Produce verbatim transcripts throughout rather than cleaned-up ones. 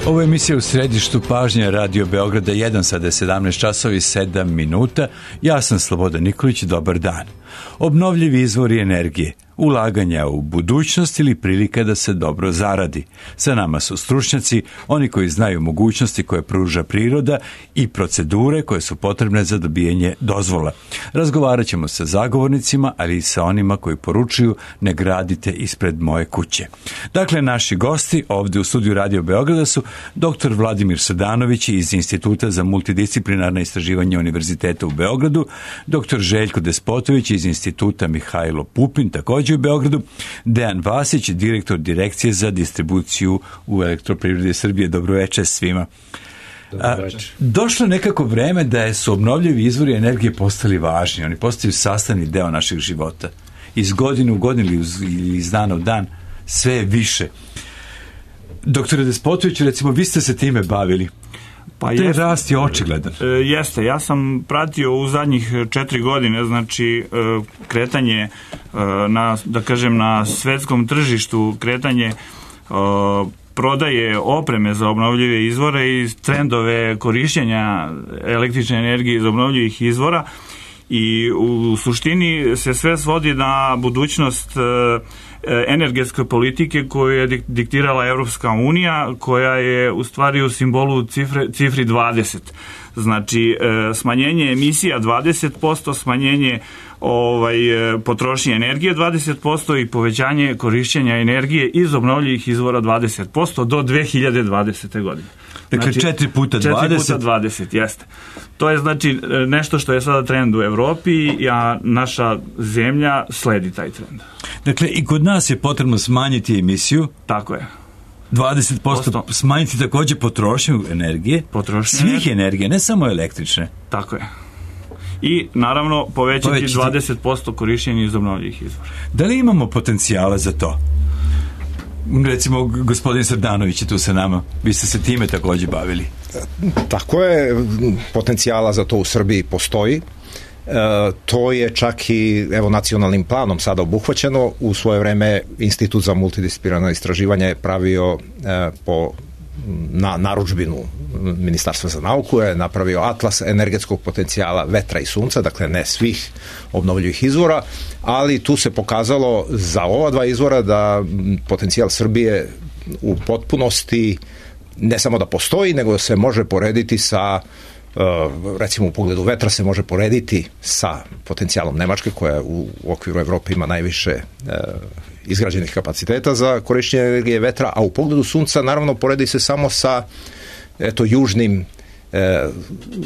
Ovo je emisija U središtu pažnje Radio Beograda jedan, sada je sedamnaest časova i sedam minuta. Ja sam Slobodan Nikolić, dobar dan. Obnovljivi izvori energije, ulaganja u budućnost ili prilika da se dobro zaradi. Sa nama su stručnjaci, oni koji znaju mogućnosti koje pruža priroda i procedure koje su potrebne za dobijanje dozvola. Razgovarat ćemo sa zagovornicima, ali i sa onima koji poručuju ne gradite ispred moje kuće. Dakle, naši gosti ovdje u studiju Radio Beograda su doktor Vladimir Srdanović iz Instituta za multidisciplinarna istraživanja Univerziteta u Beogradu, doktor Željko Despotović iz Instituta Mihajlo Pupin, također u Beogradu, Dejan Vasić, direktor Direkcije za distribuciju u Elektroprivredi Srbije. Dobroveče svima. Dobroveče. A, došlo je nekako vreme da su obnovljivi izvori energije postali važni. Oni postaju sastavni deo naših života. Iz godine u godinu ili iz dana u dan sve je više. Doktore Despotović, recimo, vi ste se time bavili. Pa Te jeste, rast je očigledan. E, jeste, ja sam pratio u zadnjih četiri godine, znači e, kretanje e, na, da kažem, na svetskom tržištu, kretanje e, prodaje opreme za obnovljive izvore i trendove korišćenja električne energije iz obnovljivih izvora, i u suštini se sve svodi na budućnost e, energetske politike koju je diktirala Evropska unija, koja je u stvari u simbolu cifre, cifri dvadeset. Znači, smanjenje emisija dvadeset posto, smanjenje ovaj, potrošnje energije dvadeset posto i povećanje korišćenja energije iz obnovljivih izvora dvadeset posto do dve hiljade dvadesete. godine. Dakle, znači, četiri puta dvadeset. četiri puta dvadeset, jeste. To je znači nešto što je sada trend u Evropi, a naša zemlja sledi taj trend. Dakle, i kod nas je potrebno smanjiti emisiju. Tako je. dvadeset posto smanjiti također potrošnju energije. Potrošnju svih energije. energije, ne samo električne. Tako je. I naravno povećati, povećati dvadeset posto korišćenja iz obnovljivih izvora. Da li imamo potencijala za to? Recimo, gospodin Srdanović je tu sa nama. Vi ste se time također bavili. Tako je, potencijala za to u Srbiji postoji. E, to je čak i evo nacionalnim planom sada obuhvaćeno. U svoje vreme Institut za multidisciplinarno istraživanje je pravio e, po na narudžbinu Ministarstva za nauku, je napravio atlas energetskog potencijala vetra i sunca, dakle ne svih obnovljivih izvora, ali tu se pokazalo za ova dva izvora da potencijal Srbije u potpunosti ne samo da postoji, nego se može porediti sa, recimo u pogledu vetra se može porediti sa potencijalom Nemačke, koja u okviru Evrope ima najviše izgrađenih kapaciteta za korišćenje energije vetra, a u pogledu sunca naravno poredi se samo sa eto južnim e,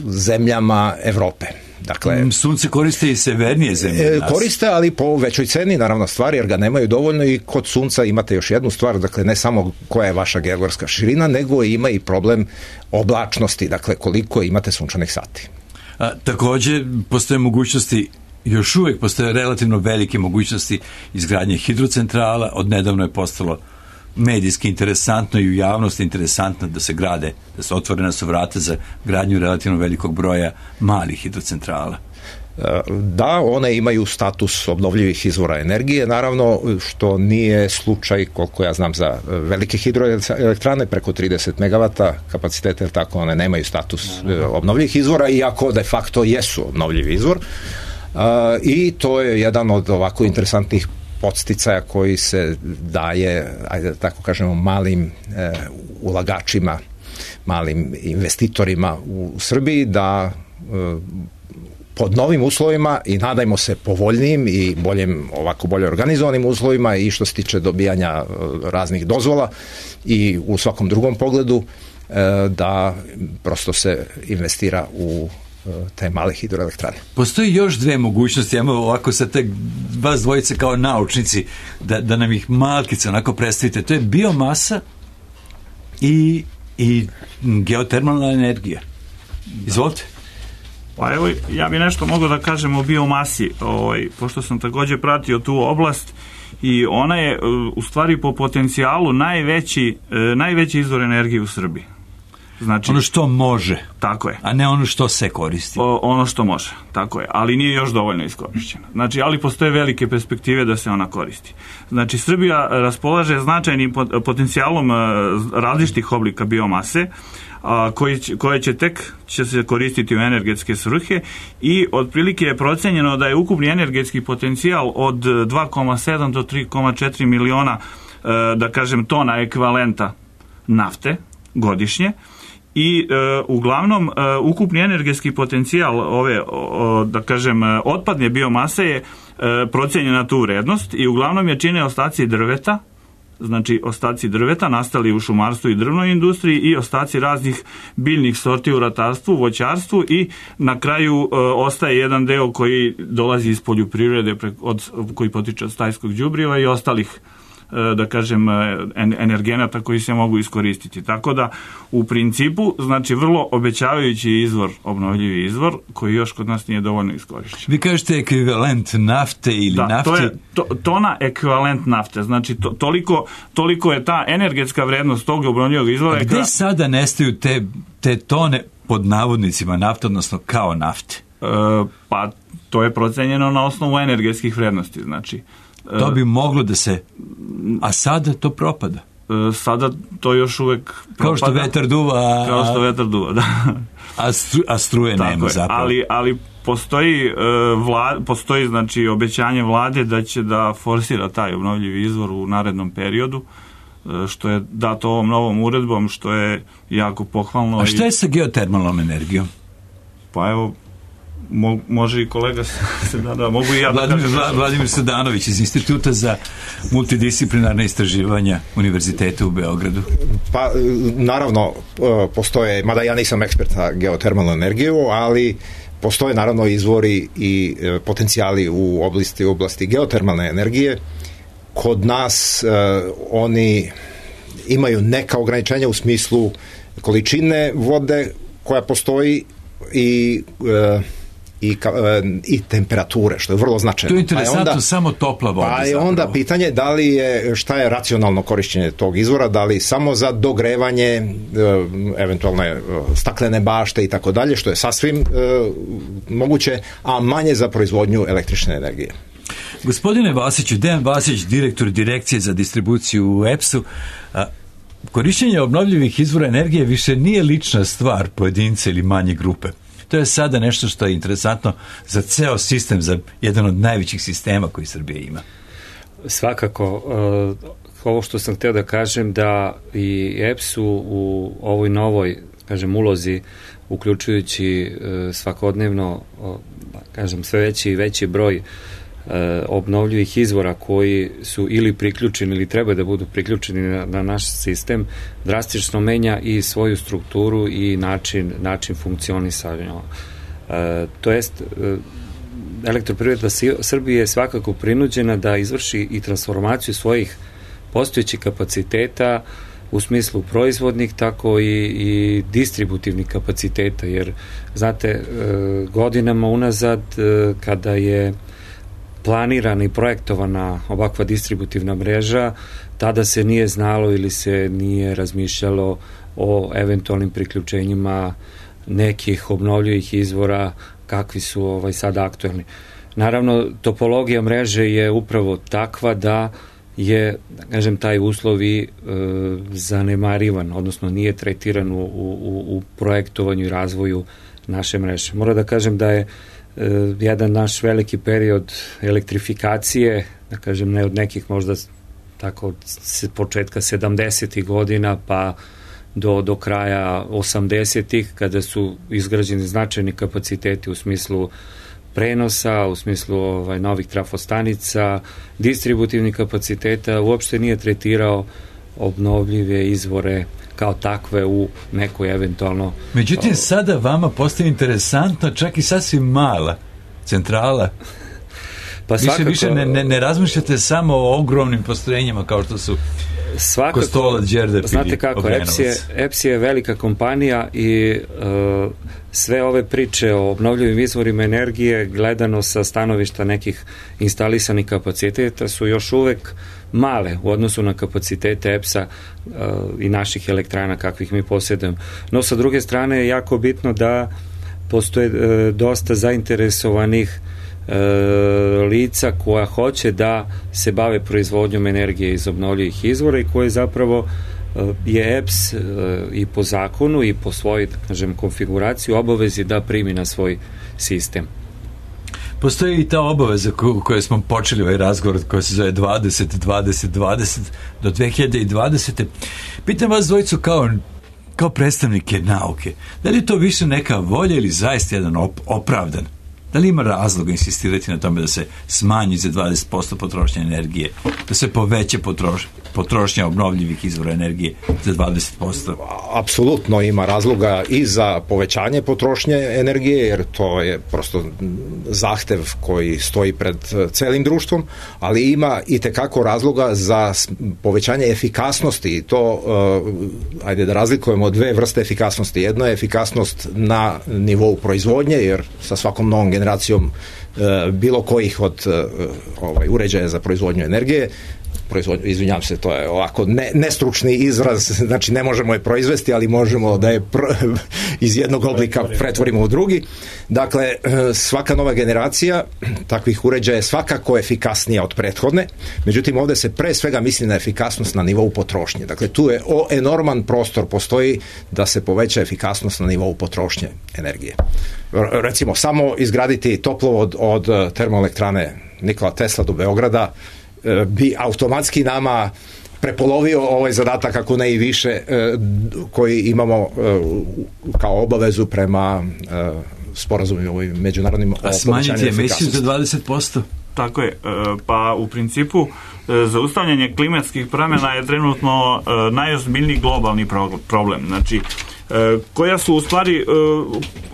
zemljama Evrope. Dakle, sunce koriste i severnije zemlje. E, koriste, ali po većoj ceni, naravno, stvari, jer ga nemaju dovoljno, i kod sunca imate još jednu stvar, dakle ne samo koja je vaša geografska širina, nego ima i problem oblačnosti, dakle koliko imate sunčanih sati. A, također postoje mogućnosti, još uvijek postoje relativno velike mogućnosti izgradnje hidrocentrala. Odnedavno je postalo medijski interesantno i u javnosti interesantno da se grade, da se otvorena su vrata za gradnju relativno velikog broja malih hidrocentrala. Da, one imaju status obnovljivih izvora energije, naravno, što nije slučaj, koliko ja znam, za velike hidroelektrane preko trideset megavata kapaciteta, tako one nemaju status obnovljivih izvora, iako de facto jesu obnovljivi izvor. I to je jedan od ovako interesantnih podsticaja koji se daje, ajde da tako kažemo, malim e, ulagačima, malim investitorima u Srbiji, da e, pod novim uslovima i nadajmo se povoljnijim i boljim, ovako bolje organizovanim uslovima, i što se tiče dobijanja e, raznih dozvola i u svakom drugom pogledu, e, da prosto se investira u te male hidroelektrane. Postoji još dve mogućnosti, ajmo ovako sa te vas dvojice kao naučnici da, da nam ih malkice onako predstavite. To je biomasa i, i geotermalna energija. Izvolite. Pa evo, ja bi nešto mogao da kažem o biomasi, ovaj, pošto sam također pratio tu oblast, i ona je u stvari po potencijalu najveći, najveći izvor energije u Srbiji. Znači, ono što može. Tako je. A ne ono što se koristi. O, ono što može, tako je. Ali nije još dovoljno iskorišćeno. Znači, ali postoje velike perspektive da se ona koristi. Znači, Srbija raspolaže značajnim potencijalom različitih oblika biomase, a, koji će, koje će tek će se koristiti u energetske svrhe i otprilike je procenjeno da je ukupni energetski potencijal od dva zarez sedam do tri zarez četiri miliona, da kažem, tona ekvivalenta nafte godišnje. I e, uglavnom e, ukupni energetski potencijal ove, o, da kažem, otpadne biomase je e, procenjen na tu vrednost i uglavnom je čine ostaci drveta, znači ostaci drveta nastali u šumarstvu i drvnoj industriji i ostaci raznih biljnih sorti u ratarstvu, voćarstvu i na kraju e, ostaje jedan deo koji dolazi iz poljoprivrede, od, koji potiče od stajskog đubriva i ostalih, da kažem, energenata koji se mogu iskoristiti. Tako da, u principu, znači, vrlo obećavajući izvor, obnovljivi izvor, koji još kod nas nije dovoljno iskorišćen. Vi kažete ekvivalent nafte ili da, nafte? To je to, tona ekvivalent nafte. Znači, to, toliko, toliko je ta energetska vrednost tog obnovljivog izvora. A gde kada... sada nestaju te, te tone pod navodnicima nafte, odnosno kao nafte? E, pa, to je procenjeno na osnovu energetskih vrednosti, znači. To bi moglo da se... A sada to propada. Sada to još uvek propada. Kao što vetar duva. Kao što vetar duva, da. A, stru, a struje tako nema je. zapravo. Ali, ali postoji, vla, postoji znači obećanje vlade da će da forsira taj obnovljivi izvor u narednom periodu, što je dato ovom novom uredbom, što je jako pohvalno. A šta je sa geotermalnom energijom? Pa evo, Mo, može i kolega se da, da mogu i ja da Vladimir, kažem. Vladimir Sadanović iz Instituta za multidisciplinarne istraživanja Univerziteta u Beogradu. Pa, naravno, postoje, mada ja nisam ekspert za geotermalnu energiju, ali postoje naravno izvori i potencijali u oblasti, oblasti geotermalne energije. Kod nas oni imaju neka ograničenja u smislu količine vode koja postoji i I, i temperature, što je vrlo značajno. To je interesantno, pa je onda, samo topla voda. Pa je onda pitanje da li je, šta je racionalno korišćenje tog izvora, da li samo za dogrevanje, eventualne staklene bašte i tako dalje, što je sasvim e, moguće, a manje za proizvodnju električne energije. Gospodine Vasiću, Dejan Vasić, direktor Direkcije za distribuciju u E P S-u, a, korišćenje obnovljivih izvora energije više nije lična stvar pojedinca ili manje grupe. To je sada nešto što je interesantno za ceo sistem, za jedan od najvećih sistema koji Srbija ima. Svakako, ovo što sam hteo da kažem, da i E P S u, u ovoj novoj, kažem, ulozi, uključujući svakodnevno, kažem, sve veći i veći broj obnovljivih izvora koji su ili priključeni ili treba da budu priključeni na, na naš sistem, drastično menja i svoju strukturu i način, način funkcionisanja. E, to jest, e, Elektroprivreda Srbije je svakako prinuđena da izvrši i transformaciju svojih postojećih kapaciteta u smislu proizvodnih, tako i, i distributivnih kapaciteta, jer, znate, e, godinama unazad, e, kada je planirana i projektovana ovakva distributivna mreža, tada se nije znalo ili se nije razmišljalo o eventualnim priključenjima nekih obnovljivih izvora kakvi su ovaj sada aktuelni. Naravno, topologija mreže je upravo takva da je, da kažem, taj uslov i e, zanemarivan, odnosno nije tretiran u, u, u projektovanju i razvoju naše mreže. Moram da kažem da je jedan naš veliki period elektrifikacije, da kažem, ne od nekih možda tako od početka sedamdesetih godina pa do, do kraja osamdesetih, kada su izgrađeni značajni kapaciteti u smislu prenosa, u smislu ovaj, novih trafostanica, distributivnih kapaciteta, uopšte nije tretirao obnovljive izvore kao takve u nekoj eventualno... Međutim, o... sada vama postaje interesantno čak i sasvim mala centrala. Pa više, svakako... više ne, ne, ne razmišljate samo o ogromnim postrojenjima kao što su svakako, Kostolac, Đerdap, znate kako, E P S je, E P S je velika kompanija i uh, sve ove priče o obnovljivim izvorima energije gledano sa stanovišta nekih instalisanih kapaciteta su još uvek male u odnosu na kapacitete E P S-a uh, i naših elektrana kakvih mi posjedujemo. No sa druge strane je jako bitno da postoje uh, dosta zainteresovanih E, lica koja hoće da se bave proizvodnjom energije iz obnovljivih izvora i koje zapravo e, je E P S e, i po zakonu i po svojoj, da kažem, konfiguraciji obavezi da primi na svoj sistem. Postoji i ta obaveza u kojoj smo počeli ovaj razgovor koja se zove dvadeset dvadeset dvadeset do dve hiljade dvadesete. Pitam vas dvojicu kao kao predstavnike nauke, da li je to više neka volja ili zaista jedan op opravdan? Da li ima razloga insistirati na tome da se smanji za dvadeset posto potrošnje energije, da se poveća potroš, potrošnja obnovljivih izvora energije za dvadeset posto? Apsolutno ima razloga i za povećanje potrošnje energije, jer to je prosto zahtev koji stoji pred celim društvom, ali ima i tekako razloga za povećanje efikasnosti i to, uh, ajde da razlikujemo dve vrste efikasnosti. Jedno je efikasnost na nivou proizvodnje, jer sa svakom novom generacijom generacijom e, bilo kojih od e, ovaj, uređaja za proizvodnju energije, proizvodnju, izvinjam se, to je ovako ne, nestručni izraz, znači ne možemo je proizvesti, ali možemo da je pro, iz jednog oblika pretvorimo u drugi. Dakle, e, svaka nova generacija takvih uređaja je svakako efikasnija od prethodne, međutim ovde se pre svega misli na efikasnost na nivou potrošnje. Dakle, tu je o, enorman prostor postoji da se poveća efikasnost na nivou potrošnje energije. Recimo, samo izgraditi toplovod od termoelektrane Nikola Tesla do Beograda bi automatski nama prepolovio ovaj zadatak, ako ne i više, koji imamo kao obavezu prema sporazumima ovim međunarodnim. A smanjiti emisiju za dvadeset posto? Tako je. Pa u principu zaustavljanje klimatskih promjena je trenutno najozbiljniji globalni problem. Znači, koja su u stvari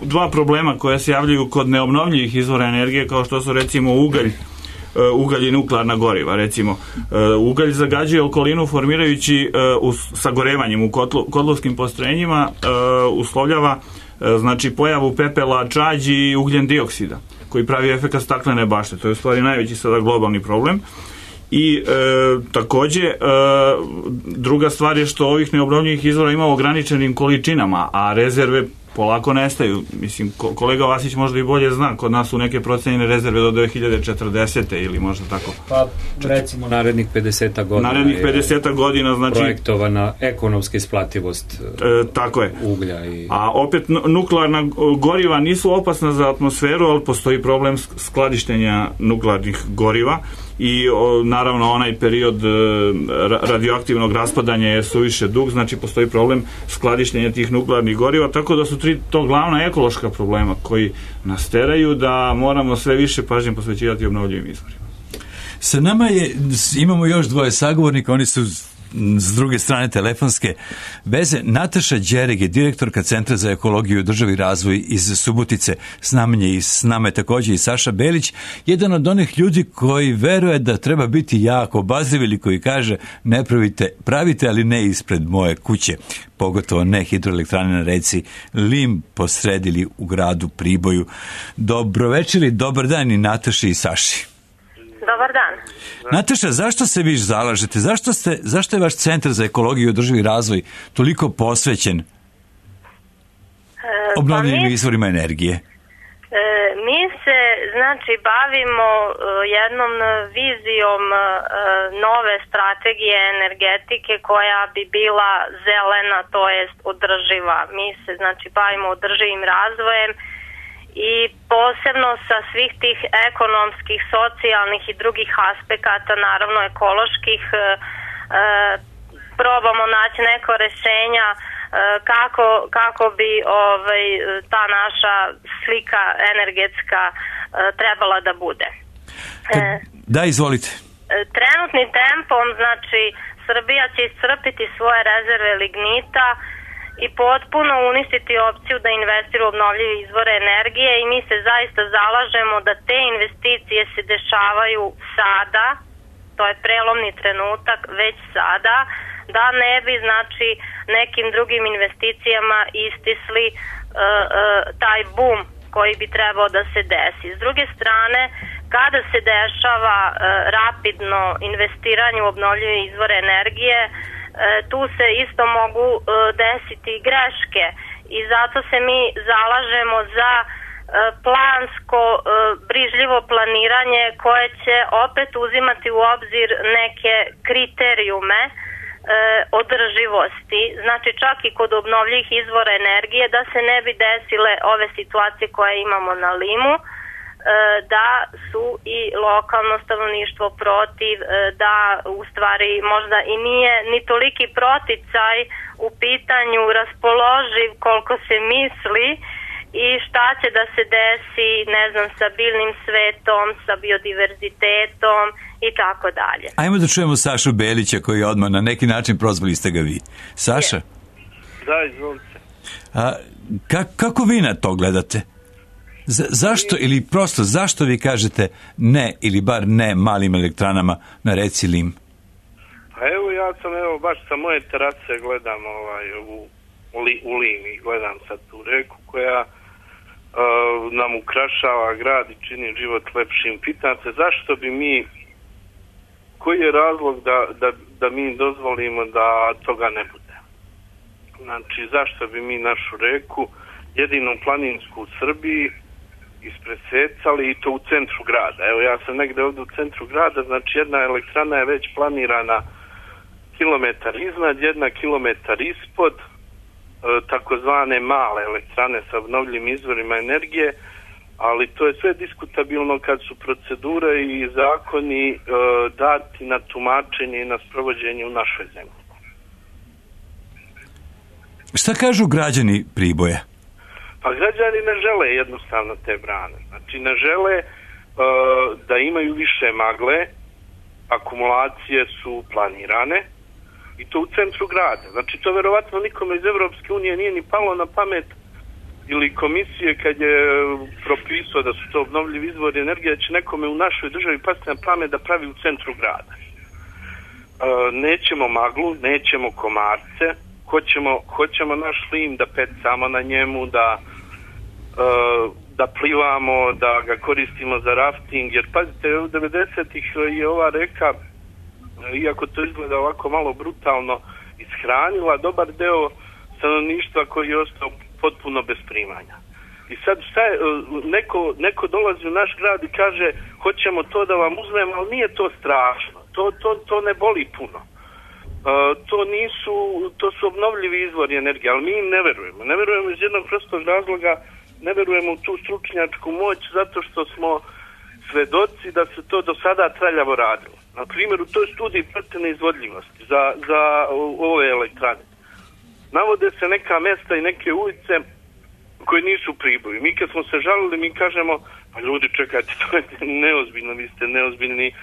dva problema koja se javljaju kod neobnovljivih izvora energije, kao što su recimo ugalj, ugalj i nuklearna goriva. Recimo, ugalj zagađuje okolinu formirajući sagorevanjem u kotlo, kotlovskim postrojenjima, uslovljava znači pojavu pepela, čađi i ugljen dioksida, koji pravi efekat staklene bašte. To je u stvari najveći sada globalni problem. I e, takođe e, druga stvar je što ovih neobnovljivih izvora ima u ograničenim količinama, a rezerve polako nestaju. Mislim, kolega Vasić možda i bolje zna, kod nas su neke procenjene rezerve do dve hiljade četrdesete ili možda tako. Pa recimo narednih pedeset godina. Narednih pedeset godina, znači projektovana ekonomska isplativost e, tako je. Uglja i... A opet nuklearna goriva nisu opasna za atmosferu, ali postoji problem skladištenja nuklearnih goriva i o, naravno onaj period e, radioaktivnog raspadanja je suviše dug, znači postoji problem skladištenja tih nuklearnih goriva, tako da su tri to glavna ekološka problema koji nas teraju da moramo sve više pažnje posvećivati obnovljivim izvorima. Sa nama je, imamo još dvoje sagovornika, oni su s druge strane telefonske veze. Nataša Đereg je direktorka Centra za ekologiju i održivi razvoj iz Subotice. S nama je, i s nama je također i Saša Belić, jedan od onih ljudi koji veruje da treba biti jako obazriv ili koji kaže ne pravite, pravite, ali ne ispred moje kuće. Pogotovo ne hidroelektrane na reci Lim posred ili u gradu Priboju. Dobro večer i dobar dan i Nataši i Saši. Dobar dan. Nataša, zašto se vi zalažete? Zašto, ste, zašto je vaš Centar za ekologiju i održivi razvoj toliko posvećen e, obnovljivim pa izvorima energije? E, mi se, znači, bavimo e, jednom vizijom e, nove strategije energetike koja bi bila zelena, to jest održiva. Mi se, znači, bavimo održivim razvojem i posebno sa svih tih ekonomskih, socijalnih i drugih aspekata, naravno ekoloških, e, probamo naći neko rešenja e, kako, kako bi ovaj, ta naša slika energetska e, trebala da bude. E, da, izvolite. Trenutnim tempom, znači, Srbija će iscrpiti svoje rezerve lignita i potpuno uništiti opciju da investira u obnovljive izvore energije i mi se zaista zalažemo da te investicije se dešavaju sada, to je prelomni trenutak već sada, da ne bi znači nekim drugim investicijama istisli uh, uh, taj bum koji bi trebao da se desi. S druge strane, kada se dešava uh, rapidno investiranje u obnovljive izvore energije, uh, tu se isto mogu uh, desiti greške i zato se mi zalažemo za uh, plansko, uh, brižljivo planiranje koje će opet uzimati u obzir neke kriterijume održivosti, znači čak i kod obnovljivih izvora energije, da se ne bi desile ove situacije koje imamo na Limu, da su i lokalno stanovništvo protiv, da u stvari možda i nije ni toliki proticaj u pitanju raspoloživ koliko se misli i šta će da se desi, ne znam, sa biljnim svetom, sa biodiverzitetom i tako dalje. Ajmo da čujemo Sašu Belića koji je odmah na neki način, prozvali ste ga vi. Saša? Je. Da, izvolite. A, ka, kako vi na to gledate? Z, zašto ili prosto zašto vi kažete ne ili bar ne malim elektranama na reci Lim? Pa evo ja sam evo baš sa moje terase gledam ovaj, u, u Lim i gledam sad tu reku koja uh, nam ukrašava grad i čini život lepšim. Pitam se zašto bi mi, koji je razlog da, da, da mi dozvolimo da toga ne bude? Znači, zašto bi mi našu reku, jedinu planinsku u Srbiji, ispresecali i to u centru grada? Evo, ja sam negde ovdje u centru grada, znači jedna elektrana je već planirana kilometar iznad, jedna kilometar ispod, e, takozvane male elektrane sa obnovljivim izvorima energije, ali to je sve diskutabilno kad su procedure i zakoni e, dati na tumačenje i na sprovođenje u našoj zemlji. Šta kažu građani Priboja? Pa građani ne žele jednostavno te brane. Znači ne žele e, da imaju više magle, akumulacije su planirane i to u centru grada. Znači to verovatno nikome iz Evropske unije nije ni palo na pamet ili komisije kad je propisao da su to obnovljivi izvori energije, da će nekome u našoj državi pasti na pamet da pravi u centru grada. E, nećemo maglu, nećemo komarce, hoćemo, hoćemo naš Lim da pecamo na njemu, da, e, da plivamo, da ga koristimo za rafting, jer pazite, u devedesetih je ova reka, iako to izgleda ovako malo brutalno, ishranila dobar deo stanovništva koji je ostao potpuno bez primanja. I sad šta je, neko, neko dolazi u naš grad i kaže hoćemo to da vam uzmemo, ali nije to strašno, to, to, to ne boli puno. Uh, to nisu, to su obnovljivi izvori energije, ali mi im ne verujemo. Ne verujemo iz jednog prostog razloga, ne verujemo u tu stručnjačku moć zato što smo svedoci da se to do sada traljavo radilo. Na primjer, u toj studiji procjene izvodljivosti za, za ove elektrane navode se neka mesta i neke ulice koje nisu Priboju. Mi kad smo se žalili, mi kažemo, pa ljudi čekajte, to je neozbiljno, vi ste neozbiljni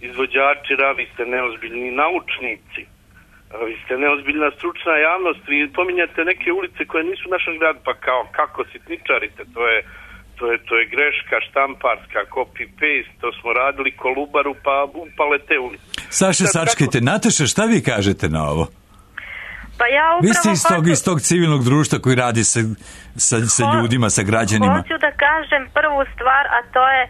izvođači, vi ste neozbiljni naučnici, vi ste neozbiljna stručna javnost, vi pominjate neke ulice koje nisu u našem gradu, pa kao kako sitničarite, to je, to je, to je greška štamparska, copy-paste, to smo radili Kolubaru, pa upale te ulice. Saša, sačkajte, kako... Nataša, šta vi kažete na ovo? Pa ja upravo vi ste iz tog, hoću... iz tog civilnog društva koji radi sa, sa, sa ljudima, sa građanima. Hoću da kažem prvu stvar, a to je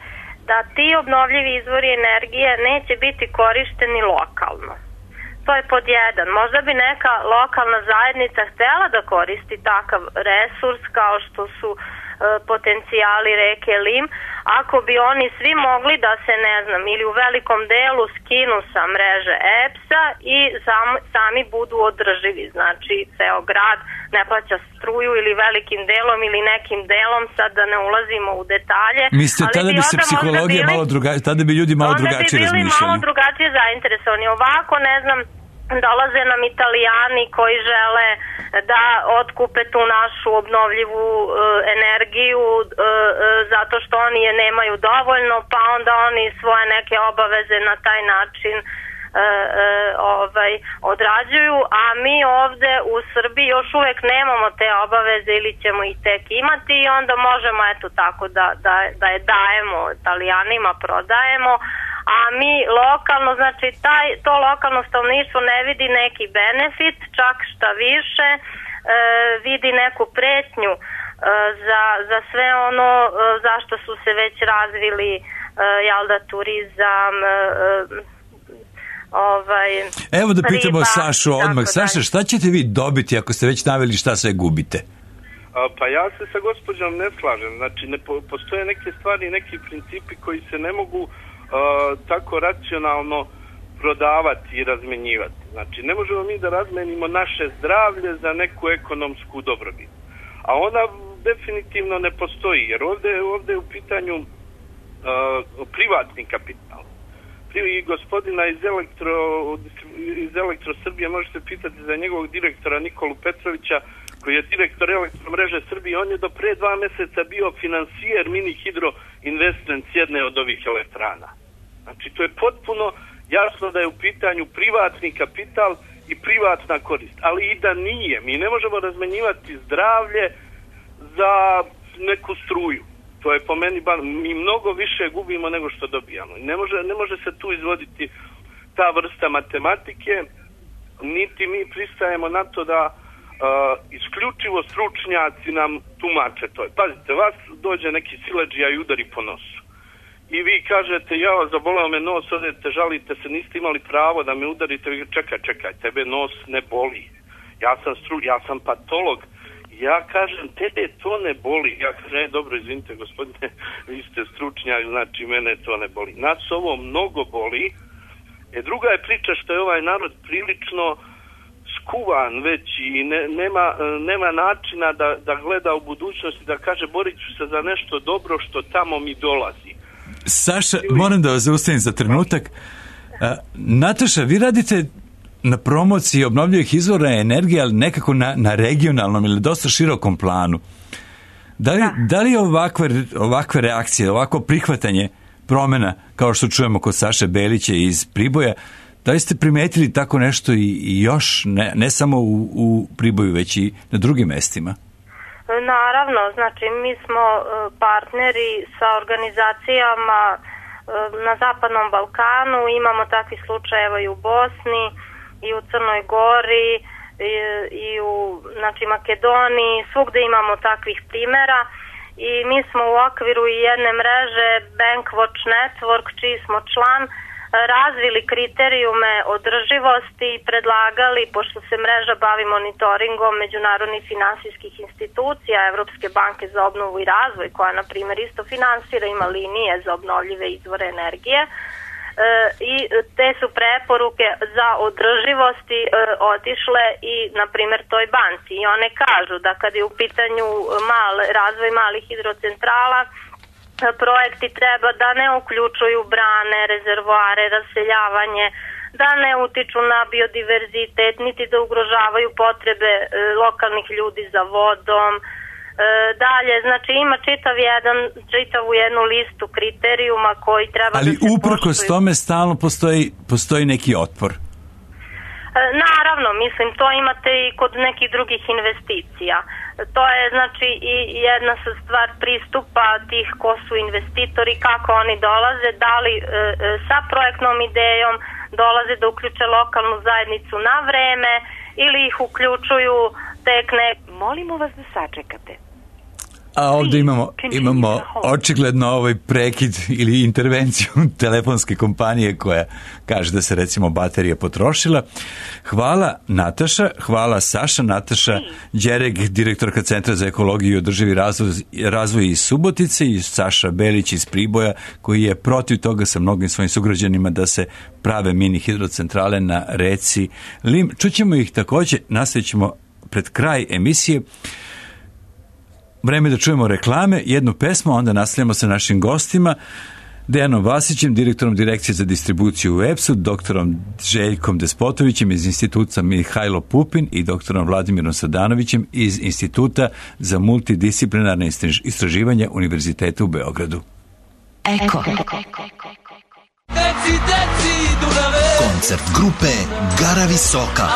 da ti obnovljivi izvori energije neće biti korišteni lokalno. To je pod jedan. Možda bi neka lokalna zajednica htjela da koristi takav resurs kao što su e, potencijali reke Lim, ako bi oni svi mogli da se, ne znam, ili u velikom delu skinu sa mreže E P S-a i sam, sami budu održivi. Znači, ceo grad ne plaća struju ili velikim delom ili nekim delom, sad da ne ulazimo u detalje. Mislite, tada bi, bi se psihologija bili, malo drugačije, tada bi ljudi malo drugačije razmišljali. Onda bi bili malo drugačije zainteresovani. Ovako, ne znam, dolaze nam Italijani koji žele da otkupe tu našu obnovljivu e, energiju e, e, zato što oni je nemaju dovoljno, pa onda oni svoje neke obaveze na taj način e, e, ovaj, odrađuju, a mi ovde u Srbiji još uvek nemamo te obaveze ili ćemo ih tek imati i onda možemo eto tako da, da, da je dajemo Italijanima, prodajemo, a mi lokalno, znači taj, to lokalno stanovništvo ne vidi neki benefit, čak šta više, e, vidi neku pretnju e, za, za sve ono e, zašto su se već razvili e, jel da, turizam, e, ovaj, evo da pitamo riba, Sašu odmah. Saša, šta ćete vi dobiti ako ste već naveli šta sve gubite? Pa ja se sa gospođom ne slažem. Znači, ne po, postoje neke stvari, neki principi koji se ne mogu uh, tako racionalno prodavati i razmenjivati. Znači, ne možemo mi da razmenimo naše zdravlje za neku ekonomsku dobrobit. A ona definitivno ne postoji, jer ovde, ovde je u pitanju uh, privatni kapital. I gospodina iz Elektro, iz Elektro Srbije možete pitati za njegovog direktora Nikolu Petrovića, koji je direktor Elektromreže Srbije. On je do pre dva meseca bio finansijer Mini Hidro Investment jedne od ovih elektrana. Znači, to je potpuno jasno da je u pitanju privatni kapital i privatna korist. Ali i da nije. Mi ne možemo razmenjivati zdravlje za neku struju. To je po meni, mi mnogo više gubimo nego što dobijamo. Ne može, ne može se tu izvoditi ta vrsta matematike, niti mi pristajemo na to da uh, isključivo stručnjaci nam tumače to. Pazite, vas dođe neki siledžija i udari po nosu. I vi kažete, ja, zaboleo me nos, odete, žalite se, niste imali pravo da me udarite. Vi čekaj, čekaj, tebe nos ne boli. Ja sam, stru, ja sam patolog. Ja kažem, tebe to ne boli. Ja kažem, e, dobro, izvinite gospodine, vi ste stručnjak, znači mene to ne boli. Nas ovo mnogo boli. E, druga je priča što je ovaj narod prilično skuvan već i ne, nema, nema načina da, da gleda u budućnosti, da kaže, borit ću se za nešto dobro što tamo mi dolazi. Saša, moram da vas zaustavim za trenutak. A, Nataša, vi radite na promociji obnovljivih izvora energije, ali nekako na, na regionalnom ili dosta širokom planu. Da li, da li ovakve, ovakve reakcije, ovako prihvatanje promjena, kao što čujemo kod Saše Belića iz Priboja, da li ste primetili tako nešto i, i još, ne, ne samo u, u Priboju, već i na drugim mestima? Naravno, znači mi smo partneri sa organizacijama na Zapadnom Balkanu, imamo takvi slučajeva i u Bosni, i u Crnoj Gori, i, i u znači, Makedoniji, svugde imamo takvih primjera i mi smo u okviru jedne mreže Bankwatch Network, čiji smo član, razvili kriterijume održivosti i predlagali, pošto se mreža bavi monitoringom međunarodnih finansijskih institucija, Evropske banke za obnovu i razvoj, koja na primjer isto finansira, ima linije za obnovljive izvore energije, i te su preporuke za održivosti otišle i na primjer toj banci i one kažu da kad je u pitanju mal, razvoj malih hidrocentrala, projekti treba da ne uključuju brane, rezervoare, raseljavanje, da ne utiču na biodiverzitet, niti da ugrožavaju potrebe lokalnih ljudi za vodom. Dalje, znači ima čitav jedan, čitavu jednu listu kriterijuma koji treba ali da se uprkos poštuju. Tome stalno postoji, postoji neki otpor. Naravno, mislim, to imate i kod nekih drugih investicija. To je, znači, i jedna stvar pristupa tih ko su investitori, kako oni dolaze, da li e, sa projektnom idejom dolaze da uključe lokalnu zajednicu na vreme ili ih uključuju tek ne... Molimo vas da sačekate. A ovdje imamo, imamo očigledno ovaj prekid ili intervenciju telefonske kompanije koja kaže da se recimo baterija potrošila. Hvala Nataša, hvala Saša. Nataša Đereg, direktorka Centra za ekologiju i održivi razvoj, razvoj iz Subotice, i Saša Belić iz Priboja, koji je protiv toga sa mnogim svojim sugrađanima da se prave mini hidrocentrale na reci Lim. Čućemo ih također, nastavit ćemo pred kraj emisije. Vreme da čujemo reklame, jednu pesmu, onda nastavljamo sa našim gostima, Dejanom Vasićem, direktorom Direkcije za distribuciju u E P S-u, doktorom Željkom Despotovićem iz Instituta Mihajlo Pupin i doktorom Vladimirom Sadanovićem iz Instituta za multidisciplinarne istraživanja Univerziteta u Beogradu. Eko. Koncert grupe Gara Visoka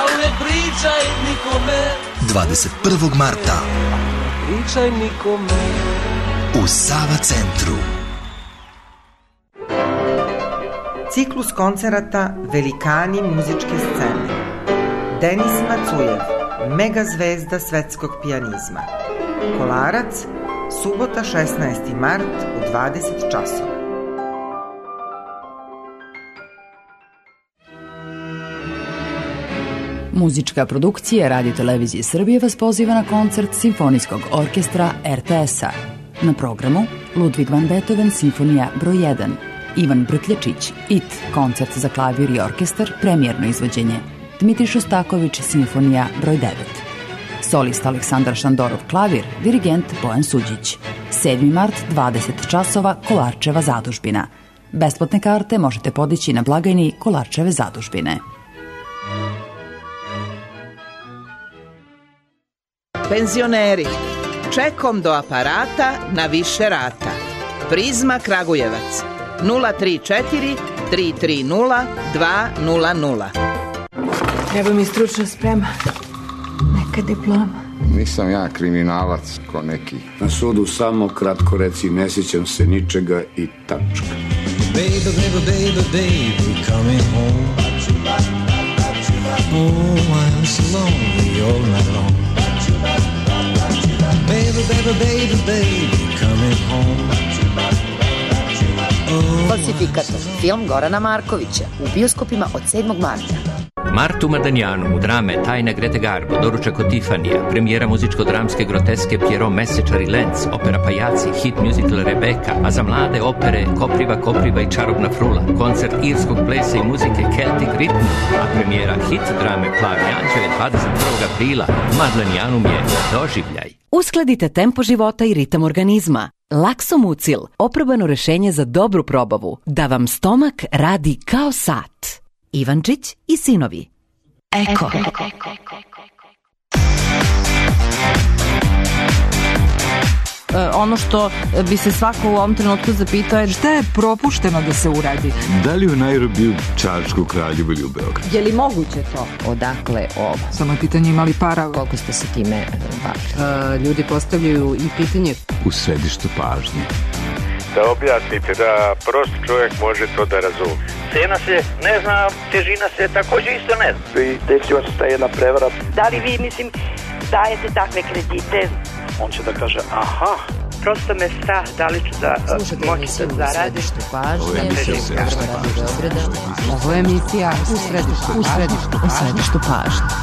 dvadeset prvog marta u Sava centru. Ciklus koncerata Velikani muzičke scene. Denis Macujev, mega zvezda svetskog pijanizma. Kolarac, subota šesnaesti mart u dvadeset časova. Muzička produkcija Radio Televizije Srbije vas poziva na koncert Simfonijskog orkestra er te es-a. Na programu Ludwig van Beethoven Simfonija broj jedan, Ivan Brkljačić, It, koncert za klavir i orkestar, premijerno izvođenje, Dmitri Šostaković Simfonija broj devet. Solist Aleksandar Šandorov klavir, dirigent Bojan Suđić. sedmi mart, dvadeset časova, Kolarčeva zadužbina. Besplatne karte možete podići na blagajni Kolarčeve zadužbine. Penzioneri, čekom do aparata na više rata. Prizma Kragujevac, nula tri četiri tri tri nula dva nula nula. Treba mi stručna sprema, neka diploma. Nisam ja kriminalac ko neki. Na sudu samo kratko reci, ne sjećam se ničega i tačka. Baby, baby, baby, baby, coming home. Oh, I'm so lonely all night long. Baby, baby, baby, baby, coming home. Falsifikator, film Gorana Markovića, u bioskopima od sedmog marta. Martu Madanjanu u drame Tajna Grete Garbo, Doručak od Tifanija, premijera muzičko-dramske groteske Pjero Mesečar i Lenz, opera Pajaci, hit musical Rebeka, a za mlade opere Kopriva, Kopriva i Čarobna frula, koncert irskog plesa i muzike Celtic Rhythm, a premijera hit drame Plavi anđeo je dvadeset prvog aprila. Madlenjanum je doživljaj. Uskladite tempo života i ritam organizma. Laksomucil, oprobano rešenje za dobru probavu, da vam stomak radi kao sat. Ivančić i sinovi. Eko. Ono što bi se svako u ovom trenutku zapitao je šta je propušteno da se uradi. Da li u Nairobiju, Čačku, Kraljevu ili u Beogradu? Je li moguće to? Odakle ovo? Samo je pitanje imali para. Koliko ste se time bavili? Uh, ljudi postavljaju i pitanje. U središtu pažnje. Da objasnite, da prost čovjek može to da razumije. Cena se ne zna, težina se također isto ne zna. I desila se ta jedna prevara. Da li vi, mislim, dajete takve kredite? On će da kaže, aha. Prosto me strah, da li ću da moći da zaradim. Ovo je emisija Ovo je emisija u središtu, u središtu, u središtu pažnje.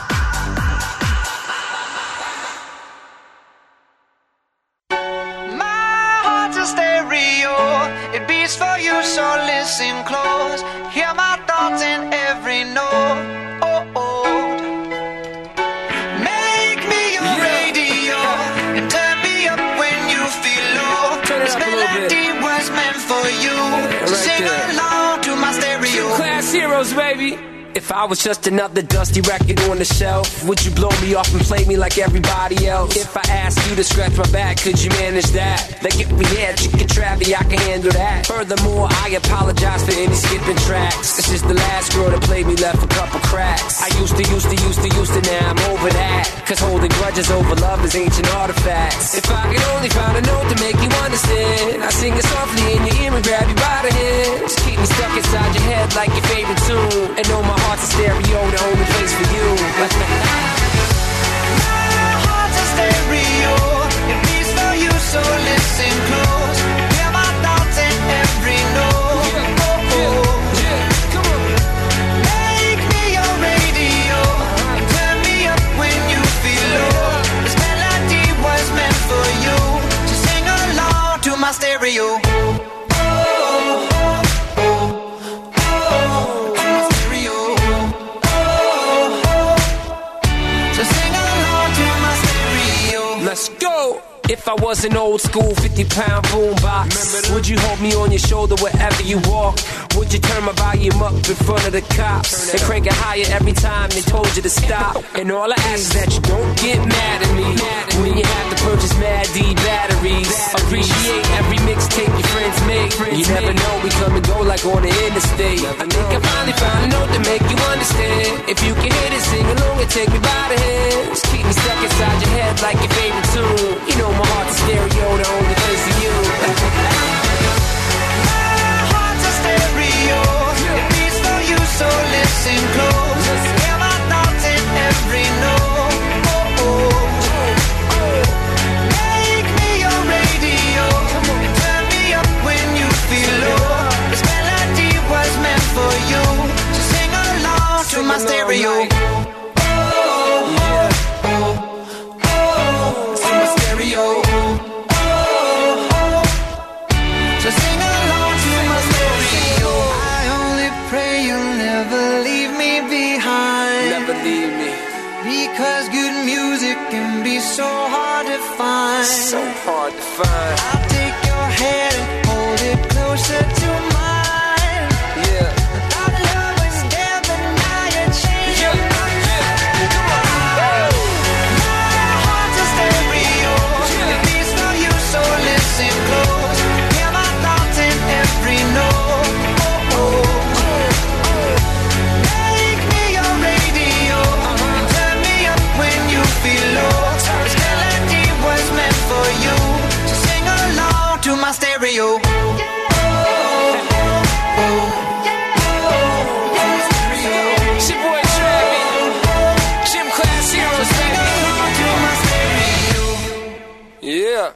So listen close, hear my thoughts in every note. Oh, oh. Make me your yeah. radio and turn me up when you feel low. This melody was meant for you. So right sing there. Along to my stereo. Class heroes, baby. If I was just another dusty record on the shelf, would you blow me off and play me like everybody else? If I asked you to scratch my back, could you manage that? Like if we had chicken travy, I can handle that. Furthermore, I apologize for any skipping tracks. This is the last girl that played me, left a couple cracks. I used to, used to, used to, used to, now I'm over that. Cause holding grudges over love is ancient artifacts. If I could only find a note to make you understand, I sing it softly in your ear and grab you by the hand. Just keep me stuck inside your head like your favorite tune. And know my heart's a stereo, the only place for you. My heart's a stereo, it beats for you, so listen close. Hear my thoughts in every note. Yeah. Oh, oh. Yeah. Come on. Make me your radio and turn me up when you feel low. This melody was meant for you, so sing along to my stereo. Let's go! If I was an old school fifty pound boombox, would you hold me on your shoulder wherever you walk? Would you turn my volume up in front of the cops and crank it higher every time they told you to stop? And all I ask is that you don't get mad at me when you have to purchase Mad D batteries. Appreciate every mixtape your friends make. You never know, we come and go like on the interstate. I think I finally found a note to make you understand. If you can hit it, sing along and take me by the hand. Just keep me stuck inside your head like your favorite tune. You know my heart's a stereo, the only place for you. My heart's a stereo, it music can be so hard to find. So hard to find. I'll take your hand and hold it closer to mine. Yeah. I thought love was dead, but now you're changing my mind. Come on. My heart's a stereo. It beats for you, so listen close. Hear my thoughts in every note. Oh, oh. Make me your radio. Turn me up when you feel low. This melody was meant for you. So sing along to my stereo. It's your boy Travi. Gym Class Heroes, baby. Yeah.